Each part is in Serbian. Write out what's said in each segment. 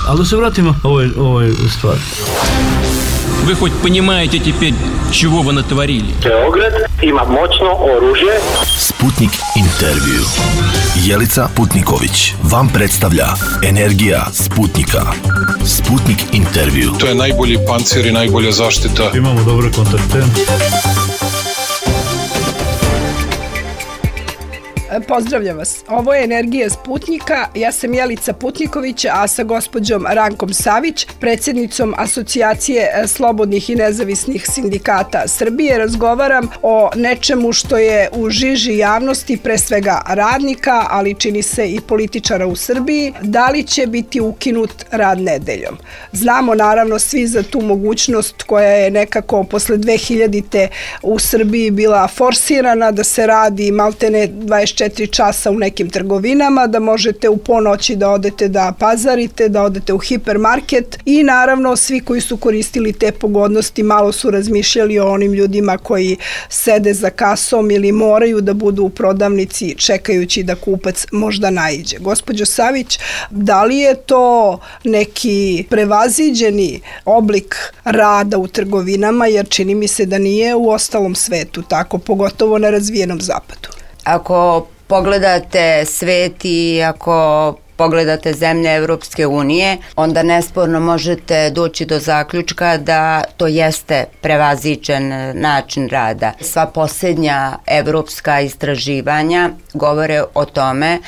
Ali da se vratimo ovoj stvari. Вы хоть понимаете теперь, чего вы натворили? Beograd ima moćno oružje. Sputnik intervju. Jelica Putniković vam predstavlja Energija Sputnika. Sputnik intervju. To je najbolji pancir i najbolja zaštita. Imamo dobre kontakte. Pozdravljam vas. Ovo je Energija Sputnika. Ja sam Jelica Putniković, a sa gospođom Rankom Savić, predsjednicom Asocijacije slobodnih i nezavisnih sindikata Srbije, razgovaram o nečemu što je u žiži javnosti, pre svega radnika, ali čini se i političara u Srbiji. Da li će biti ukinut rad nedeljom? Znamo naravno svi za tu mogućnost koja je nekako posle 2000-te u Srbiji bila forsirana, da se radi maltene 24 časa u nekim trgovinama, da možete u ponoći da odete da pazarite, da odete u hipermarket i naravno svi koji su koristili te pogodnosti malo su razmišljali o onim ljudima koji sede za kasom ili moraju da budu u prodavnici čekajući da kupac možda naiđe. Gospođo Savić, da li je to neki prevaziđeni oblik rada u trgovinama, jer čini mi se da nije u ostalom svetu tako, pogotovo na razvijenom zapadu? Ako pogledate svet i ako pogledate zemlje Evropske unije, onda nesporno možete doći do zaključka da to jeste prevaziđen način rada. Sva posljednja evropska istraživanja govore o tome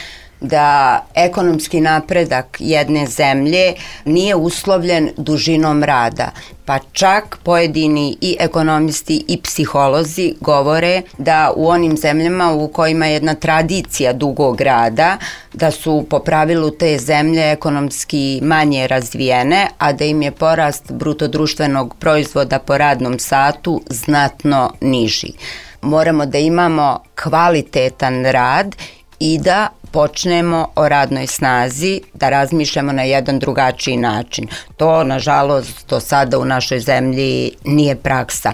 da ekonomski napredak jedne zemlje nije uslovljen dužinom rada. Pa čak pojedini i ekonomisti i psiholozi govore da u onim zemljama u kojima je jedna tradicija dugog rada, da su po pravilu te zemlje ekonomski manje razvijene, a da im je porast brutodruštvenog proizvoda po radnom satu znatno niži. Moramo da imamo kvalitetan rad i da počnemo o radnoj snazi, da razmišljamo na jedan drugačiji način. To, nažalost, do sada u našoj zemlji nije praksa.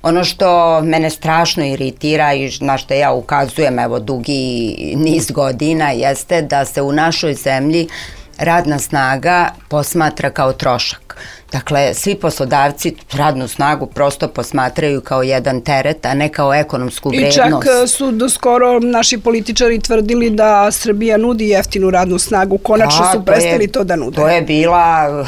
Ono što mene strašno iritira i na što ja ukazujem dugi niz godina jeste da se u našoj zemlji radna snaga posmatra kao trošak. Dakle, svi poslodavci radnu snagu prosto posmatraju kao jedan teret, a ne kao ekonomsku vrednost. I čak su doskoro naši političari tvrdili da Srbija nudi jeftinu radnu snagu. Konačno su prestali to da nude. To je bila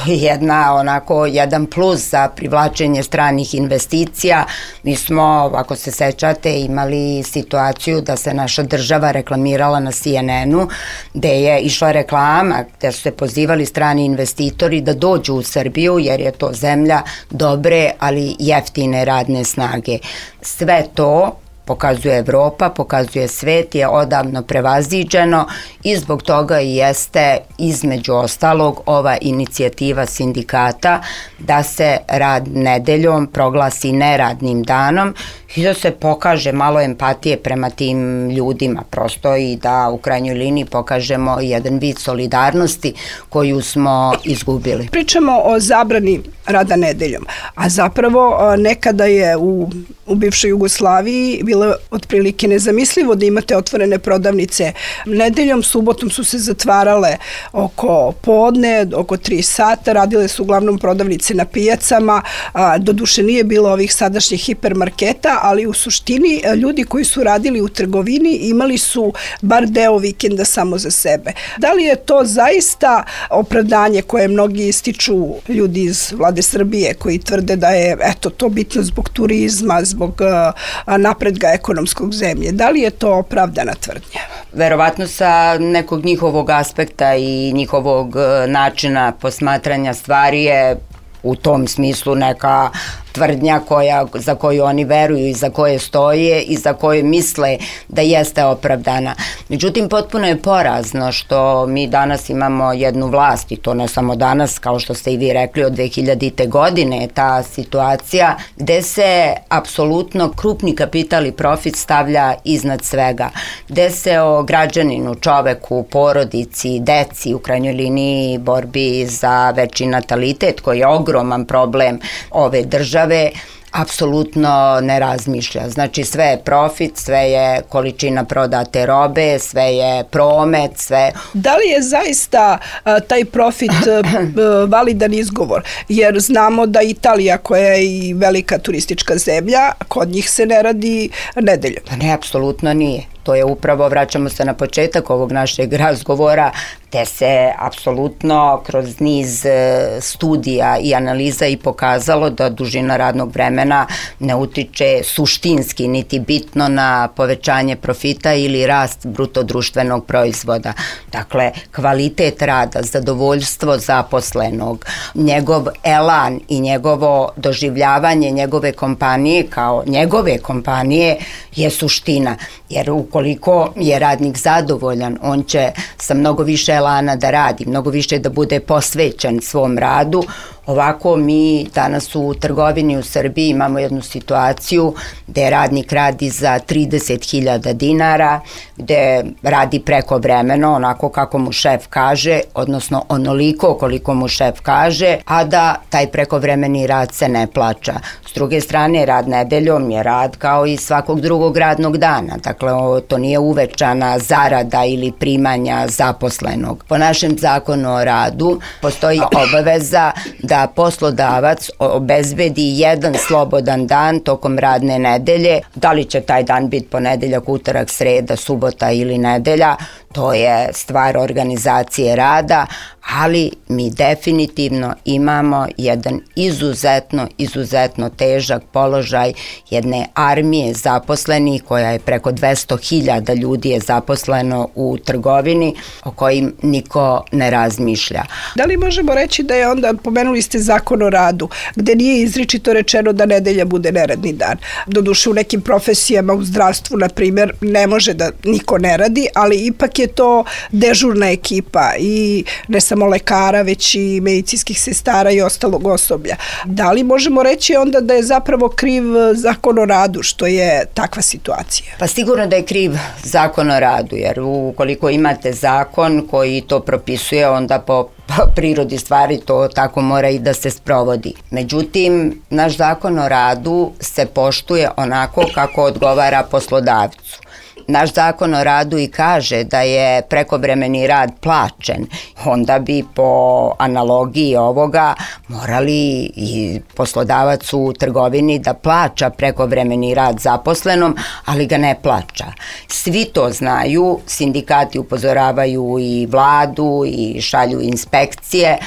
jedan plus za privlačenje stranih investicija. Mi smo, ako se sećate, imali situaciju da se naša država reklamirala na CNN-u, gde je išla reklama, gde su se pozivali strani investitori da dođu u Srbiju, jer je to zemlja dobre, ali jeftine radne snage. Sve to pokazuje Evropa, pokazuje svet, je odavno prevaziđeno i zbog toga i jeste između ostalog ova inicijativa sindikata da se rad nedeljom proglasi neradnim danom i da se pokaže malo empatije prema tim ljudima prosto i da u krajnjoj liniji pokažemo jedan vid solidarnosti koju smo izgubili. Pričamo o zabrani rada nedeljom, a zapravo nekada je u bivšoj Jugoslaviji bilo otprilike nezamislivo da imate otvorene prodavnice nedeljom, subotom su se zatvarale oko podne, oko 3 sata, radile su uglavnom prodavnice na pijacama, doduše nije bilo ovih sadašnjih hipermarketa, ali u suštini ljudi koji su radili u trgovini imali su bar deo vikenda samo za sebe. Da li je to zaista opravdanje koje mnogi ističu ljudi iz vlade Srbije koji tvrde da je to bitno zbog turizma, zbog napretka ekonomskog zemlje? Da li je to opravdana tvrdnja? Verovatno sa nekog njihovog aspekta i njihovog načina posmatranja stvari je u tom smislu neka tvrdnja za koju oni veruju i za koje stoje i za koje misle da jeste opravdana. Međutim, potpuno je porazno što mi danas imamo jednu vlast i to ne samo danas, kao što ste i vi rekli, od 2000. godine je ta situacija gde se apsolutno krupni kapital i profit stavlja iznad svega, gde se o građaninu, čoveku, porodici, deci, u krajnjoj liniji borbi za veći natalitet koji je ogroman problem ove države, apsolutno ne razmišlja. Znači sve je profit, sve je količina prodate robe, sve je promet, sve... Da li je zaista taj profit validan izgovor? Jer znamo da Italija, koja je i velika turistička zemlja, kod njih se ne radi nedeljom. Pa ne, apsolutno nije. To je upravo, vraćamo se na početak ovog našeg razgovora, te se apsolutno kroz niz studija i analiza i pokazalo da dužina radnog vremena ne utiče suštinski niti bitno na povećanje profita ili rast bruto društvenog proizvoda. Dakle, kvalitet rada, zadovoljstvo zaposlenog, njegov elan i njegovo doživljavanje njegove kompanije kao njegove kompanije je suština. Jer ukoliko je radnik zadovoljan, on će sa mnogo više elana da radi, mnogo više da bude posvećen svom radu. Ovako mi danas u trgovini u Srbiji imamo jednu situaciju gde radnik radi za 30.000 dinara, gde radi prekovremeno onako kako mu šef kaže, odnosno onoliko koliko mu šef kaže, a da taj prekovremeni rad se ne plaća. S druge strane, rad nedeljom je rad kao i svakog drugog radnog dana. Dakle, to nije uvećana zarada ili primanja zaposlenog. Po našem zakonu o radu postoji obaveza da poslodavac obezbedi jedan slobodan dan tokom radne nedelje. Da li će taj dan biti ponedeljak, utorak, sreda, subota ili nedelja, to je stvar organizacije rada, ali mi definitivno imamo jedan izuzetno težak položaj jedne armije zaposlenih koja je preko 200.000 ljudi je zaposleno u trgovini o kojim niko ne razmišlja. Da li možemo reći da je onda, pomenuli ste zakon o radu, gde nije izričito rečeno da nedelja bude neradni dan? Doduše u nekim profesijama u zdravstvu, na primjer, ne može da niko ne radi, ali ipak je to dežurna ekipa i ne samo lekara, već i medicinskih sestara i ostalog osoblja. Da li možemo reći onda da je zapravo kriv zakon o radu, što je takva situacija? Pa sigurno da je kriv zakon o radu, jer ukoliko imate zakon koji to propisuje, onda po prirodi stvari to tako mora i da se sprovodi. Međutim, naš zakon o radu se poštuje onako kako odgovara poslodavcu. Naš zakon o radu i kaže da je prekovremeni rad plaćen, onda bi po analogiji ovoga morali i poslodavac u trgovini da plaća prekovremeni rad zaposlenom, ali ga ne plaća. Svi to znaju, sindikati upozoravaju i vladu i šalju inspekcije,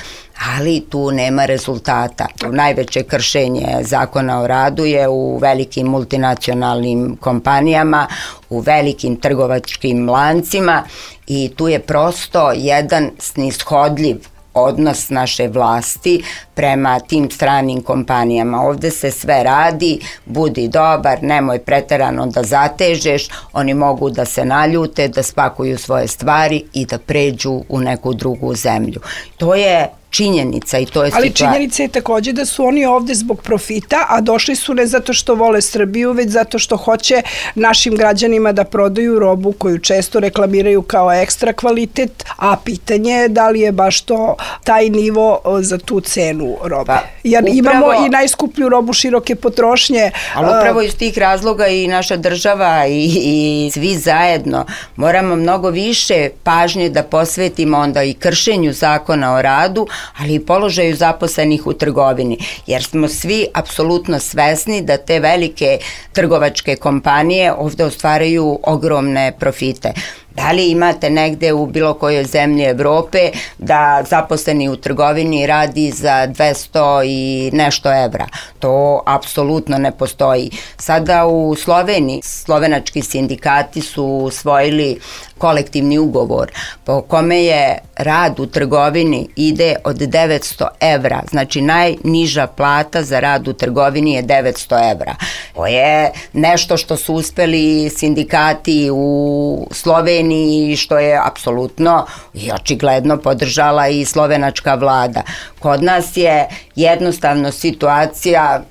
ali tu nema rezultata. Najveće kršenje zakona o radu je u velikim multinacionalnim kompanijama, u velikim trgovačkim lancima i tu je prosto jedan snishodljiv odnos naše vlasti prema tim stranim kompanijama. Ovde se sve radi, budi dobar, nemoj preterano da zatežeš, oni mogu da se naljute, da spakuju svoje stvari i da pređu u neku drugu zemlju. To je činjenica i to je ali činjenica je takođe da su oni ovde zbog profita, a došli su ne zato što vole Srbiju, već zato što hoće našim građanima da prodaju robu koju često reklamiraju kao ekstra kvalitet, a pitanje je da li je baš to taj nivo za tu cenu robe. Jer imamo i najskuplju robu široke potrošnje. Ali upravo iz tih razloga i naša država i svi zajedno moramo mnogo više pažnje da posvetimo onda i kršenju zakona o radu, ali i položaju zaposlenih u trgovini, jer smo svi apsolutno svesni da te velike trgovačke kompanije ovde ostvaraju ogromne profite. Da li imate negde u bilo kojoj zemlji Evrope da zaposleni u trgovini radi za 200 i nešto evra? To apsolutno ne postoji. Sada u Sloveniji, slovenački sindikati su usvojili kolektivni ugovor po kome je rad u trgovini ide od 900 evra. Znači najniža plata za rad u trgovini je 900 evra. To je nešto što su uspeli sindikati u Sloveniji i što je apsolutno i očigledno podržala i slovenačka vlada. Kod nas je jednostavno situacija,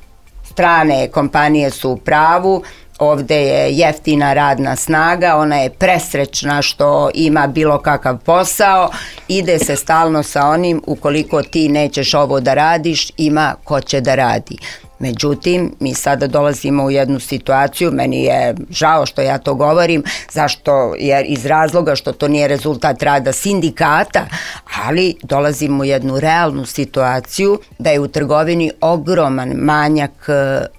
strane kompanije su u pravu, ovde je jeftina radna snaga, ona je presrećna što ima bilo kakav posao, ide se stalno sa onim ukoliko ti nećeš ovo da radiš, ima ko će da radi. Međutim, mi sada dolazimo u jednu situaciju, meni je žao što ja to govorim, zašto? Jer iz razloga što to nije rezultat rada sindikata, ali dolazimo u jednu realnu situaciju da je u trgovini ogroman manjak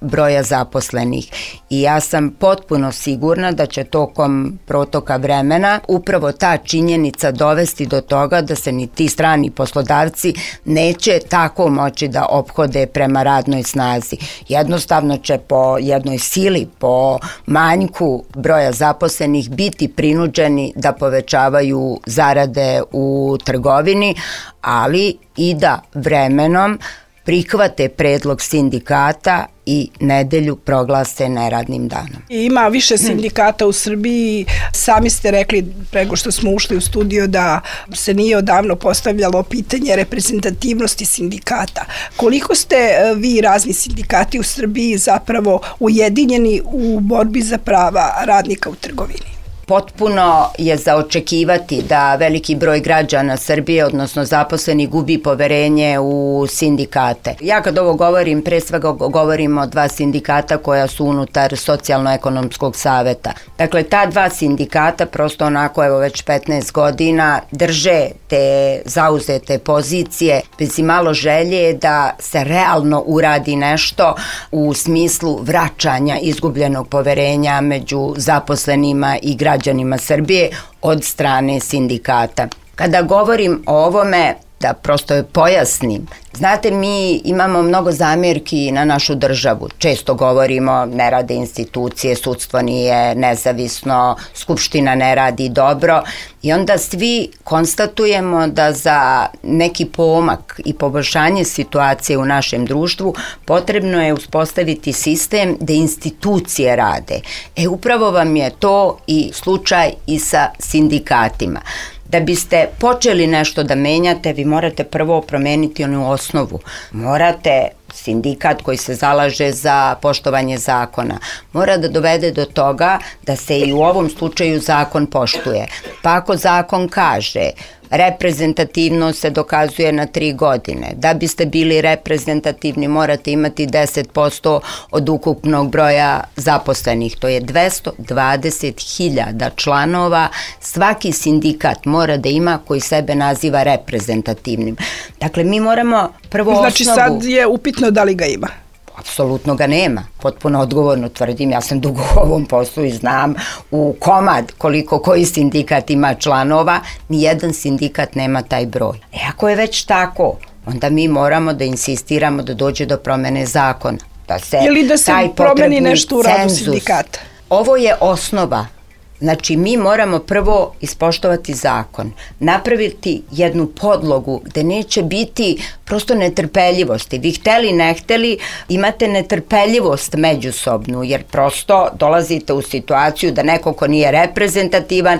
broja zaposlenih i ja sam potpuno sigurna da će tokom protoka vremena upravo ta činjenica dovesti do toga da se ni ti strani poslodavci neće tako moći da ophode prema radnoj snazi. Jednostavno će po jednoj sili, po manjku broja zaposlenih biti prinuđeni da povećavaju zarade u trgovini, ali i da vremenom prihvate predlog sindikata i nedelju proglase neradnim danom. Ima više sindikata u Srbiji, sami ste rekli prego što smo ušli u studio da se nije odavno postavljalo pitanje reprezentativnosti sindikata. Koliko ste vi razni sindikati u Srbiji zapravo ujedinjeni u borbi za prava radnika u trgovini? Potpuno je za očekivati da veliki broj građana Srbije, odnosno zaposleni, gubi poverenje u sindikate. Ja kad ovo govorim, pre svega govorim o dva sindikata koja su unutar Socijalno-ekonomskog saveta. Dakle, ta dva sindikata prosto onako, evo već 15 godina, drže te zauzete pozicije bez imalo želje da se realno uradi nešto u smislu vraćanja izgubljenog poverenja među zaposlenima i građanima Srbije od strane sindikata. Kada govorim o ovome, da prosto pojasnim, znate, mi imamo mnogo zamjerki na našu državu. Često govorimo, ne rade institucije, sudstvo nije nezavisno, skupština ne radi dobro i onda svi konstatujemo da za neki pomak i poboljšanje situacije u našem društvu potrebno je uspostaviti sistem da institucije rade. Upravo vam je to i slučaj i sa sindikatima. Da biste počeli nešto da menjate, vi morate prvo promeniti onu osnovu. Morate, sindikat koji se zalaže za poštovanje zakona, mora da dovede do toga da se i u ovom slučaju zakon poštuje. Pa ako zakon kaže reprezentativnost se dokazuje na 3 godine. Da biste bili reprezentativni morate imati 10% od ukupnog broja zaposlenih. To je 220.000 članova. Svaki sindikat mora da ima koji sebe naziva reprezentativnim. Dakle, mi moramo prvo osnovu... Znači sad je upitno da li ga ima? Apsolutno ga nema. Potpuno odgovorno tvrdim, ja sam dugo u ovom poslu i znam u komad koliko koji sindikat ima članova, nijedan sindikat nema taj broj. Ako je već tako, onda mi moramo da insistiramo da dođe do promene zakona. Da se ili da se promeni nešto u radu sindikata. Ovo je osnova. Znači, mi moramo prvo ispoštovati zakon, napraviti jednu podlogu gde neće biti prosto netrpeljivosti. Vi hteli, ne hteli, imate netrpeljivost međusobnu, jer prosto dolazite u situaciju da neko ko nije reprezentativan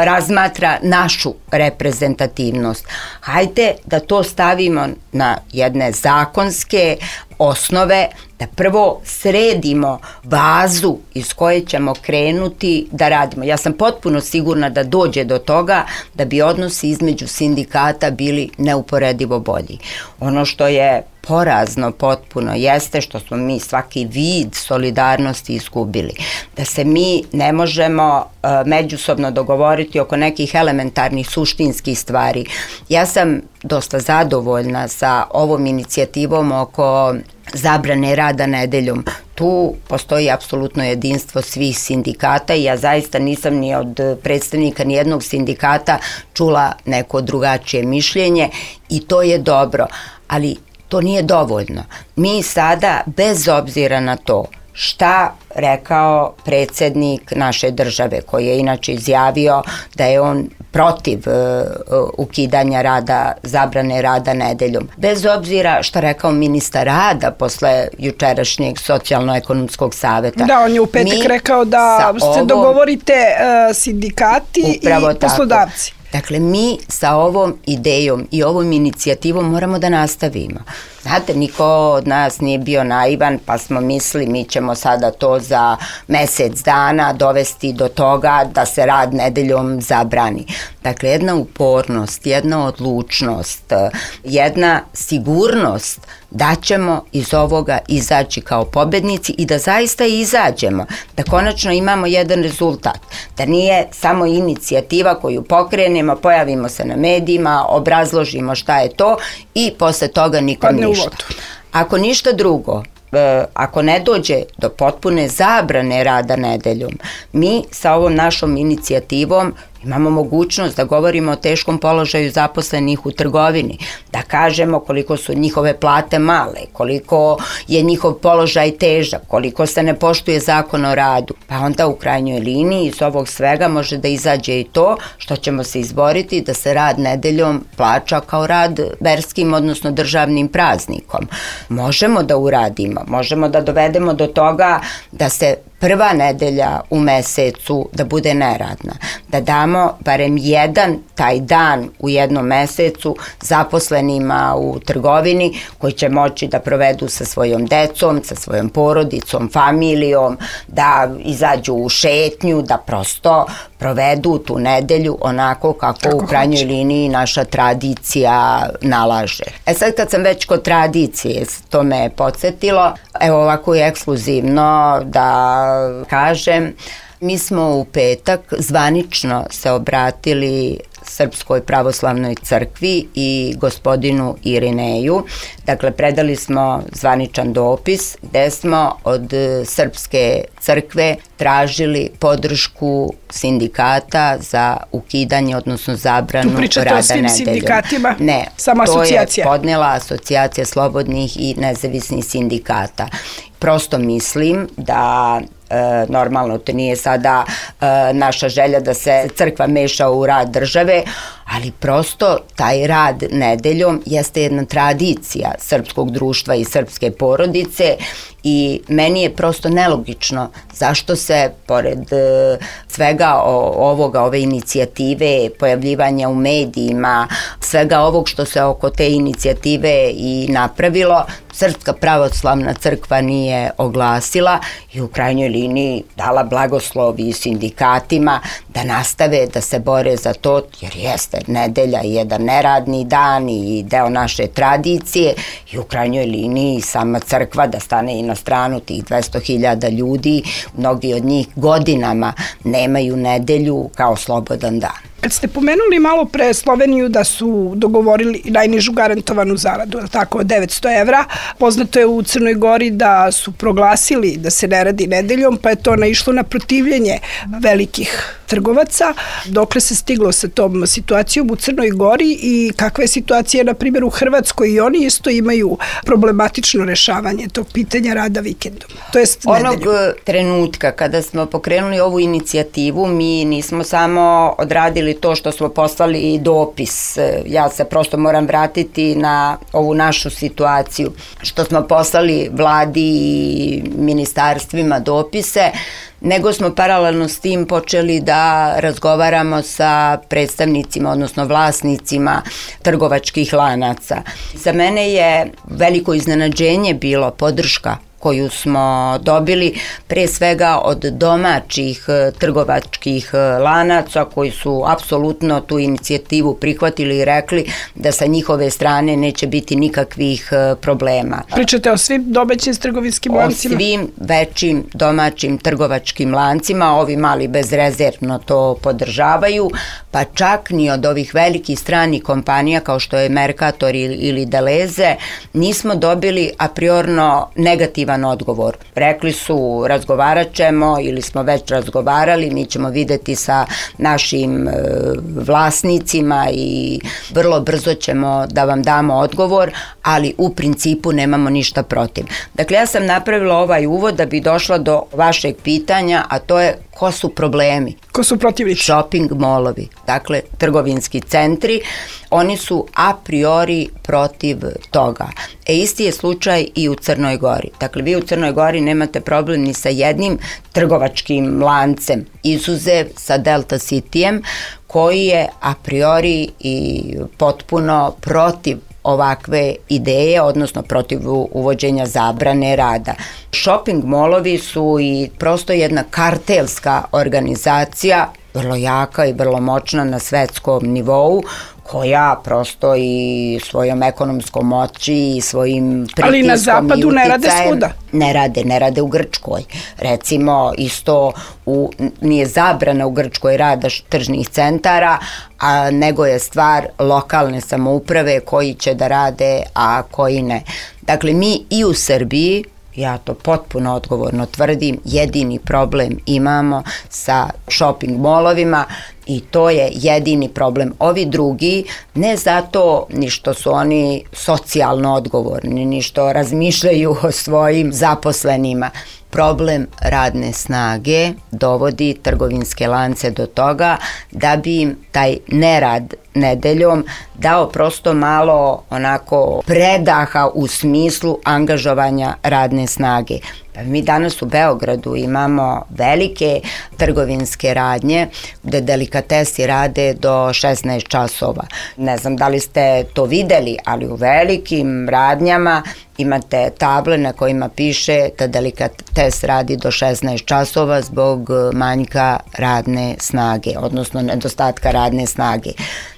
razmatra našu reprezentativnost. Hajde da to stavimo na jedne zakonske osnove, da prvo sredimo bazu iz koje ćemo krenuti da radimo. Ja sam potpuno sigurna da dođe do toga da bi odnosi između sindikata bili neuporedivo bolji. Ono što je porazno potpuno jeste što smo mi svaki vid solidarnosti izgubili. Da se mi ne možemo međusobno dogovoriti oko nekih elementarnih suštinskih stvari. Ja sam dosta zadovoljna sa ovom inicijativom oko zabrane rada nedeljom. Tu postoji apsolutno jedinstvo svih sindikata i ja zaista nisam ni od predstavnika nijednog sindikata čula neko drugačije mišljenje i to je dobro, ali to nije dovoljno. Mi sada, bez obzira na to šta rekao predsjednik naše države, koji je inače izjavio da je on protiv ukidanja rada, zabrane rada nedeljom. Bez obzira šta rekao ministar rada posle jučerašnjeg Socijalno-ekonomskog saveta. Da, on je u petak rekao da se dogovorite sindikati i poslodavci. Dakle, mi sa ovom idejom i ovom inicijativom moramo da nastavimo. Znate, niko od nas nije bio naivan, pa smo mislili mi ćemo sada to za mesec dana dovesti do toga da se rad nedeljom zabrani. Dakle, jedna upornost, jedna odlučnost, jedna sigurnost da ćemo iz ovoga izaći kao pobednici i da zaista izađemo, da konačno imamo jedan rezultat, da nije samo inicijativa koju pokrenemo, pojavimo se na medijima, obrazložimo šta je to i posle toga nikom ništa. Ako ništa drugo, ako ne dođe do potpune zabrane rada nedeljom, mi sa ovom našom inicijativom imamo mogućnost da govorimo o teškom položaju zaposlenih u trgovini, da kažemo koliko su njihove plate male, koliko je njihov položaj težak, koliko se ne poštuje zakon o radu. Pa onda u krajnjoj liniji iz ovog svega može da izađe i to što ćemo se izboriti da se rad nedeljom plaća kao rad verskim, odnosno državnim praznikom. Možemo da uradimo, možemo da dovedemo do toga da se prva nedelja u mesecu da bude neradna, da damo barem jedan taj dan u jednom mesecu zaposlenima u trgovini koji će moći da provedu sa svojom decom, sa svojom porodicom, familijom, da izađu u šetnju, da prosto provedu tu nedelju onako kako u krajnjoj liniji naša tradicija nalaže. Sad kad sam već kod tradicije, to me je podsjetilo, evo ovako je ekskluzivno da kažem, mi smo u petak zvanično se obratili Srpskoj pravoslavnoj crkvi i gospodinu Irineju. Dakle, predali smo zvaničan dopis gde smo od Srpske crkve tražili podršku sindikata za ukidanje, odnosno zabranu rada nedeljom. Tu pričate o svim sindikatima? Ne, samo asocijacija. To je podnela Asocijacija slobodnih i nezavisnih sindikata. Prosto mislim da normalno to nije sada naša želja da se crkva meša u rad države, ali prosto taj rad nedeljom jeste jedna tradicija srpskog društva i srpske porodice i meni je prosto nelogično zašto se pored svega ovoga, ove inicijative, pojavljivanja u medijima, svega ovog što se oko te inicijative i napravilo, Srpska pravoslavna crkva nije oglasila i u krajnjoj liniji dala blagoslov i sindikatima da nastave da se bore za to, jer jeste nedelja je jedan neradni dan i deo naše tradicije i u krajnjoj liniji sama crkva da stane i na stranu tih 200.000 ljudi, mnogi od njih godinama nemaju nedelju kao slobodan dan. Kad ste pomenuli malo pre Sloveniju da su dogovorili najnižu garantovanu zaradu, tako, od 900 evra, poznato je u Crnoj Gori da su proglasili da se ne radi nedeljom, pa je to naišlo na protivljenje velikih trgovaca. Dokle se stiglo sa tom situacijom u Crnoj Gori i kakva je situacija, na primjer, u Hrvatskoj, i oni isto imaju problematično rešavanje tog pitanja rada vikendom, to jest nedeljom. Onog trenutka kada smo pokrenuli ovu inicijativu, mi nismo samo odradili to što smo poslali dopis. Ja se prosto moram vratiti na ovu našu situaciju. Što smo poslali vladi i ministarstvima dopise, nego smo paralelno s tim počeli da razgovaramo sa predstavnicima, odnosno vlasnicima trgovačkih lanaca. Za mene je veliko iznenađenje bilo podrška koju smo dobili pre svega od domaćih trgovačkih lanaca koji su apsolutno tu inicijativu prihvatili i rekli da sa njihove strane neće biti nikakvih problema. Pričate o svim domaćim trgovinskim lancima? O svim većim domaćim trgovačkim lancima, ovi mali bezrezervno to podržavaju, pa čak ni od ovih velikih stranih kompanija kao što je Mercator ili Deleze nismo dobili a priorno negativan odgovor. Rekli su razgovarat ćemo ili smo već razgovarali, mi ćemo videti sa našim vlasnicima i vrlo brzo ćemo da vam damo odgovor, ali u principu nemamo ništa protiv. Dakle, ja sam napravila ovaj uvod da bi došla do vašeg pitanja, a to je ko su problemi? Ko su protivnici? Shopping molovi, dakle trgovinski centri, oni su a priori protiv toga. Isti je slučaj i u Crnoj Gori. Dakle, vi u Crnoj Gori nemate problem ni sa jednim trgovačkim lancem, izuzev sa Delta Cityjem, koji je a priori i potpuno protiv ovakve ideje, odnosno protiv uvođenja zabrane rada. Shopping molovi su i prosto jedna kartelska organizacija, vrlo jaka i vrlo moćna na svetskom nivou, koja prosto i svojom ekonomskom moći i svojim pritiskom ali na zapadu ne rade svuda. Ne rade u Grčkoj. Recimo, isto nije zabrana u Grčkoj rada tržnih centara, nego je stvar lokalne samouprave koji će da rade, a koji ne. Dakle, mi i u Srbiji, ja to potpuno odgovorno tvrdim, jedini problem imamo sa shopping molovima i to je jedini problem. Ovi drugi, ne zato ni što su oni socijalno odgovorni, ni što razmišljaju o svojim zaposlenima. Problem radne snage dovodi trgovinske lance do toga da bi im taj nerad nedeljom dao prosto malo onako predaha u smislu angažovanja radne snage. Pa mi danas u Beogradu imamo velike trgovinske radnje gde delikatesi rade do 16 časova. Ne znam da li ste to videli, ali u velikim radnjama imate table na kojima piše da delikates radi do 16 časova zbog manjka radne snage, odnosno nedostatka radne snage.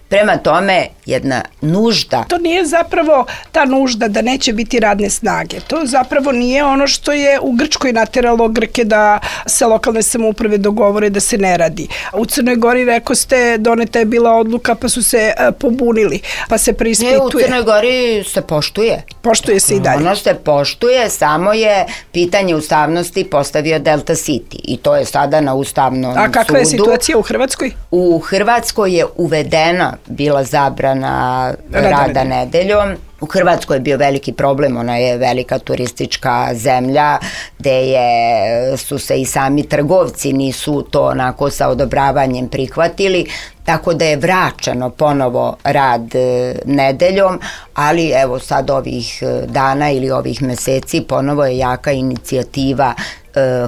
Prema tome, jedna nužda. To nije zapravo ta nužda da neće biti radne snage. To zapravo nije ono što je u Grčkoj nateralo Grke da se lokalne samouprave dogovore da se ne radi. U Crnoj Gori, rekao ste, doneta je bila odluka pa su se pobunili, pa se preispituje. Ne, u Crnoj Gori se poštuje. Poštuje se i dalje. Ono se poštuje, samo je pitanje ustavnosti postavio Delta City i to je sada na Ustavnom sudu. A kakva je situacija u Hrvatskoj? U Hrvatskoj je uvedena bila zabrana rada nedeljom. U Hrvatskoj je bio veliki problem, ona je velika turistička zemlja gde su se i sami trgovci nisu to onako sa odobravanjem prihvatili, tako da je vraćano ponovo rad nedeljom, ali evo sad ovih dana ili ovih meseci ponovo je jaka inicijativa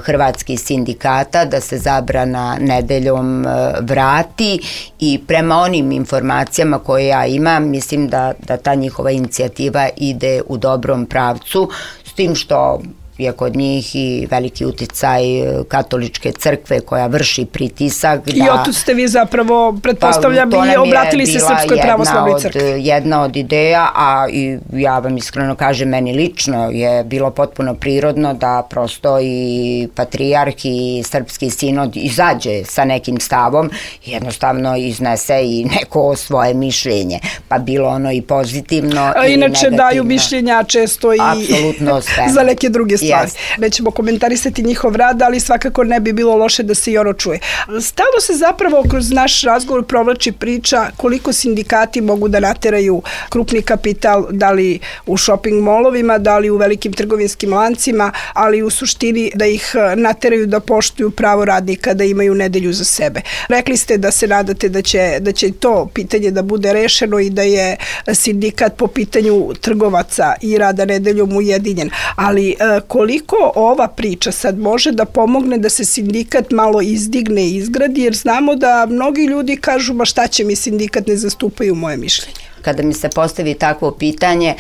hrvatskih sindikata da se zabrana nedeljom vrati i prema onim informacijama koje ja imam, mislim da ta njihova inicijativa ide u dobrom pravcu, s tim što je kod njih i veliki uticaj katoličke crkve koja vrši pritisak. I otud ste vi zapravo, pretpostavljam, i obratili se Srpskoj pravoslavnoj crkvi. Jedna od ideja, a i ja vam iskreno kažem, meni lično je bilo potpuno prirodno da prosto i patrijarh i srpski sinod izađe sa nekim stavom, jednostavno iznese i neko svoje mišljenje, pa bilo ono i pozitivno i inače negativno. Daju mišljenja često i za neke druge stvari. Yes. Nećemo komentarisati njihov rad, ali svakako ne bi bilo loše da se i ono čuje. Stalno se zapravo kroz naš razgovor provlači priča koliko sindikati mogu da nateraju krupni kapital, da li u shopping molovima, da li u velikim trgovinskim lancima, ali u suštini da ih nateraju da poštuju pravo radnika, da imaju nedelju za sebe. Rekli ste da se nadate da će to pitanje da bude rešeno i da je sindikat po pitanju trgovaca i rada nedeljom ujedinjen, ali koliko ova priča sad može da pomogne da se sindikat malo izdigne i izgradi, jer znamo da mnogi ljudi kažu, ma šta će mi, sindikat ne zastupaju moje mišljenje. Kada mi se postavi takvo pitanje,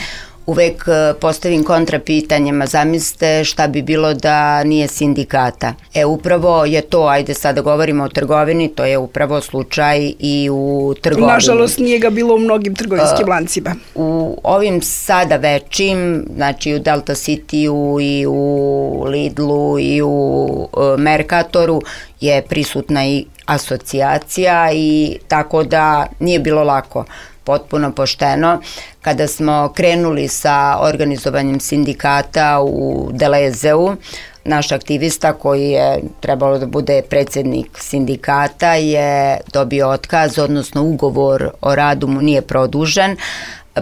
uvek postavim kontrapitanjima, zamislite šta bi bilo da nije sindikata. Upravo je to, ajde sada govorimo o trgovini, to je upravo slučaj i u trgovini. Nažalost nije ga bilo u mnogim trgovinskim lancima. U ovim sada većim, znači u Delta City-u i u Lidlu i u Mercatoru je prisutna i asocijacija i tako da nije bilo lako. Potpuno pošteno. Kada smo krenuli sa organizovanjem sindikata u Delezeu, naš aktivista koji je trebalo da bude predsjednik sindikata je dobio otkaz, odnosno ugovor o radu mu nije produžen,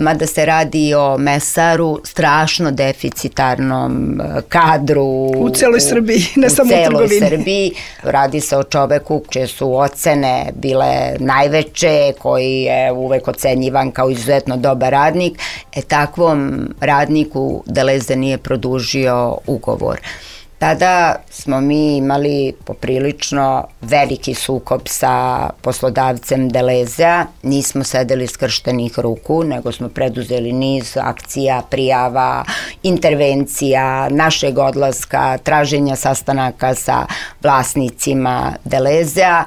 mada se radi o mesaru, strašno deficitarnom kadru u celoj Srbiji, ne samo u trgovini. Srbiji. Radi se o čoveku čije su ocene bile najveće, koji je uvek ocenjivan kao izuzetno dobar radnik. Takvom radniku Deleze nije produžio ugovor. Tada smo mi imali poprilično veliki sukob sa poslodavcem Delezea, nismo sedeli skrštenih ruku, nego smo preduzeli niz akcija, prijava, intervencija, našeg odlaska, traženja sastanaka sa vlasnicima Delezea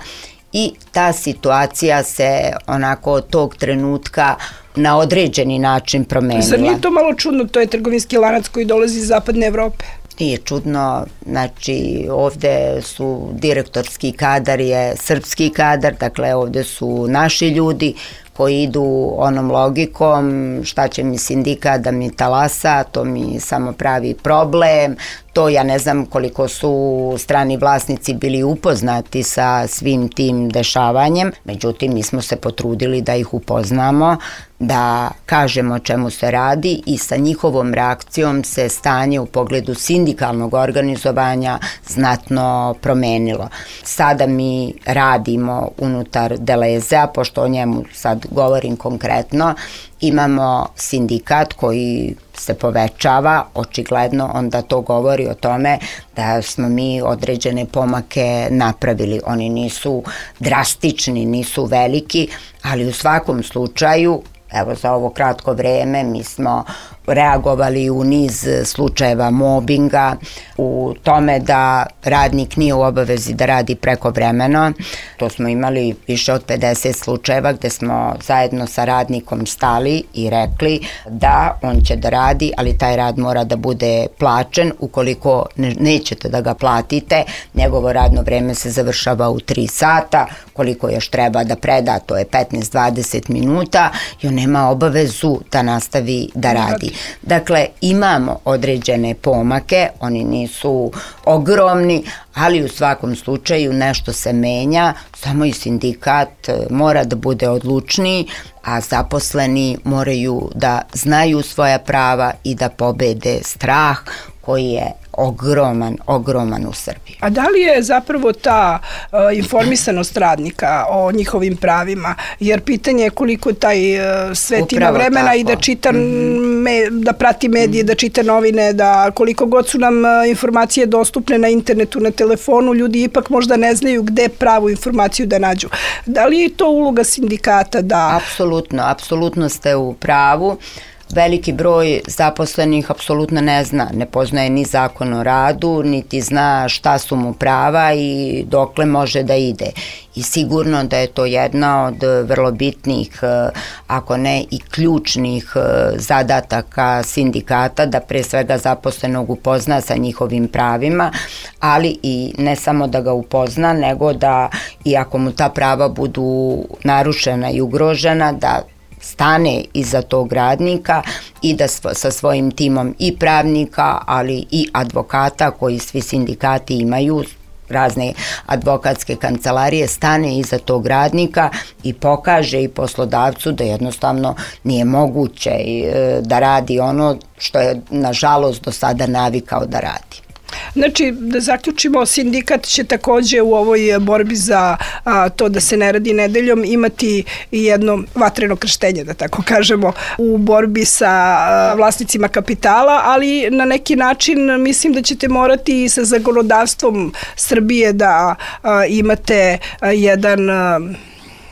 i ta situacija se onako od tog trenutka na određeni način promenila. Zar nije to malo čudno, to je trgovinski lanac koji dolazi iz zapadne Evrope? Nije čudno, znači ovde su direktorski kadar je srpski kadar, dakle ovde su naši ljudi koji idu onom logikom šta će mi sindikat da mi talasa, to mi samo pravi problem, to ja ne znam koliko su strani vlasnici bili upoznati sa svim tim dešavanjem, međutim mi smo se potrudili da ih upoznamo, da kažemo o čemu se radi i sa njihovom reakcijom se stanje u pogledu sindikalnog organizovanja znatno promenilo. Sada mi radimo unutar Delezea, pošto o njemu sad govorim konkretno, imamo sindikat koji se povećava, očigledno onda to govori o tome da smo mi određene pomake napravili. Oni nisu drastični, nisu veliki, ali u svakom slučaju, evo za ovo kratko vreme mi smo reagovali u niz slučajeva mobinga, u tome da radnik nije u obavezi da radi prekovremeno. To smo imali više od 50 slučajeva gde smo zajedno sa radnikom stali i rekli da on će da radi, ali taj rad mora da bude plaćen. Ukoliko nećete da ga platite, njegovo radno vreme se završava u 3 sata, koliko još treba da preda, to je 15-20 minuta i on nema obavezu da nastavi da radi. Dakle, imamo određene pomake, oni nisu ogromni, ali u svakom slučaju nešto se menja, samo i sindikat mora da bude odlučniji, a zaposleni moraju da znaju svoja prava i da pobede strah koji je ogroman u Srbiji. A da li je zapravo ta informisanost radnika o njihovim pravima, jer pitanje je koliko taj svet ima vremena tako. I da čita, da prati medije, da čita novine, da koliko god su nam informacije dostupne na internetu, na telefonu, ljudi ipak možda ne znaju gde pravu informaciju da nađu. Da li je to uloga sindikata da... Apsolutno ste u pravu. Veliki broj zaposlenih apsolutno ne zna, ne poznaje ni zakon o radu, niti zna šta su mu prava i dokle može da ide. I sigurno da je to jedna od vrlo bitnih, ako ne i ključnih zadataka sindikata, da pre svega zaposlenog upozna sa njihovim pravima, ali i ne samo da ga upozna, nego da i ako mu ta prava budu narušena i ugrožena, da stane iza tog radnika i da sa svojim timom i pravnika, ali i advokata, koji svi sindikati imaju, razne advokatske kancelarije, stane iza tog radnika i pokaže i poslodavcu da jednostavno nije moguće da radi ono što je nažalost do sada navikao da radi. Znači, da zaključimo, sindikat će takođe u ovoj borbi za to da se ne radi nedeljom imati jedno vatreno krštenje, da tako kažemo, u borbi sa vlasnicima kapitala, ali na neki način mislim da ćete morati i sa zakonodavstvom Srbije da imate jedan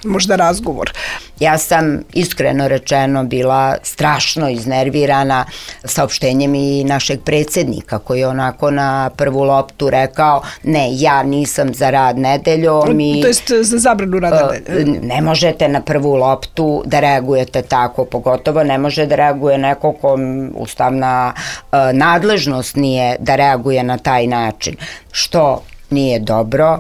možda razgovor. Ja sam iskreno rečeno bila strašno iznervirana saopštenjem i našeg predsjednika koji je onako na prvu loptu rekao ne, ja nisam za rad nedeljom. To jest za zabranu rada nedeljom. Ne možete na prvu loptu da reagujete tako, pogotovo ne može da reaguje neko kom ustavna nadležnost nije da reaguje na taj način, što nije dobro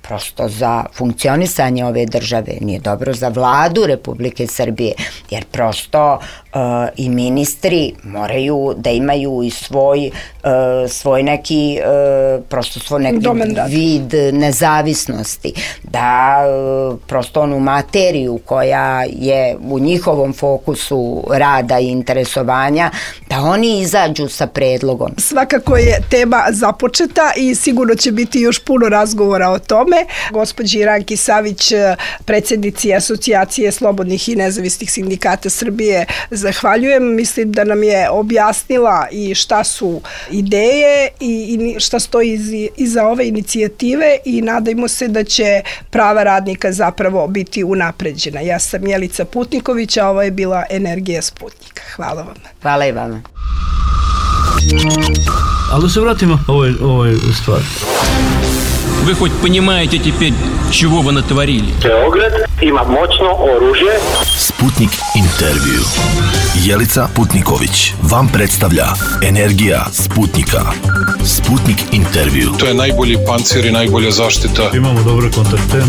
prosto za funkcionisanje ove države, nije dobro za vladu Republike Srbije, jer prosto i ministri moraju da imaju i svoj neki prosto svoj neki vid nezavisnosti, da prosto onu materiju koja je u njihovom fokusu rada i interesovanja, da oni izađu sa predlogom. Svakako je tema započeta i sigurno će biti još puno razgovora o tome. Gospođi Ranki Savić, predsjednici Asocijacije slobodnih i nezavisnih sindikata Srbije, zahvaljujem. Mislim da nam je objasnila i šta su ideje i šta stoji iza ove inicijative i nadajmo se da će prava radnika zapravo biti unapređena. Ja sam Jelica Putniković, a ovo je bila Energija Sputnika. Hvala vam. Hvala i vama. Ali da se vratimo ovoj stvari. Вы хоть понимаете теперь, чего вы натворили? Beograd ima moćno oružje. Sputnik intervju. Jelica Putniković vam predstavlja Energija Sputnika. Sputnik intervju. To je najbolji pancir i najbolja zaštita. Imamo dobre kontakte.